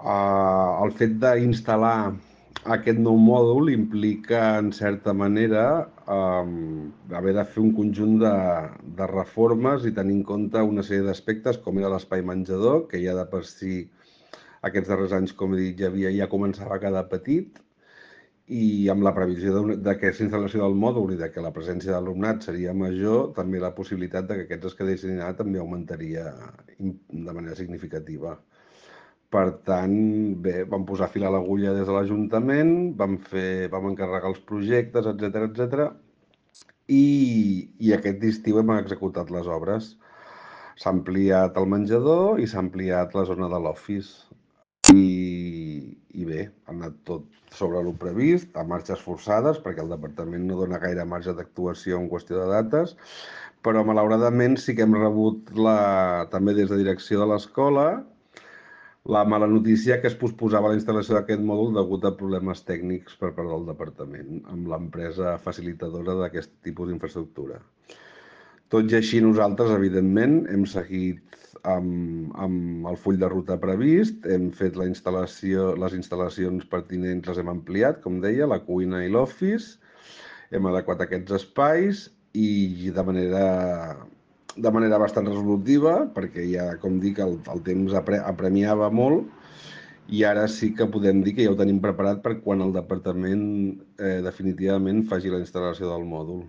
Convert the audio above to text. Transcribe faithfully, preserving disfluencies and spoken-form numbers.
Uh, el fet d'instal·lar aquest nou mòdul implica, en certa manera, um, haver de fer un conjunt de, de reformes i tenir en compte una sèrie d'aspectes, com era l'espai menjador, que ja de per si aquests darrers anys, com he dit, ja havia, ja començava a quedar petit, i amb la previsió d'aquesta instal·lació del mòdul i de que la presència d'alumnat seria major, també la possibilitat de que aquests es quedessin allà també augmentaria de manera significativa. Per tant, bé, vam posar fil a l'agulla des de l'Ajuntament, vam fer, vam encarregar els projectes, etcètera, etcètera, i, i aquest estiu hem executat les obres. S'ha ampliat el menjador i s'ha ampliat la zona de l'office. I, I bé, ha anat tot sobre el previst, a marxes forçades, perquè el departament no dona gaire marge d'actuació en qüestió de dates, però malauradament sí que hem rebut la, també des de direcció de l'escola la mala notícia que es posposava la instal·lació d'aquest mòdul degut a problemes tècnics per part del departament amb l'empresa facilitadora d'aquest tipus d'infraestructura. Tot i així, nosaltres, evidentment, hem seguit amb, amb el full de ruta previst, hem fet la instal·lació, les instal·lacions pertinents, les hem ampliat, com deia, la cuina i l'office, hem adequat aquests espais i de manera, de manera bastant resolutiva, perquè ja, com dic, el, el temps apre, apremiava molt, i ara sí que podem dir que ja ho tenim preparat per quan el departament eh, definitivament faci la instal·lació del mòdul.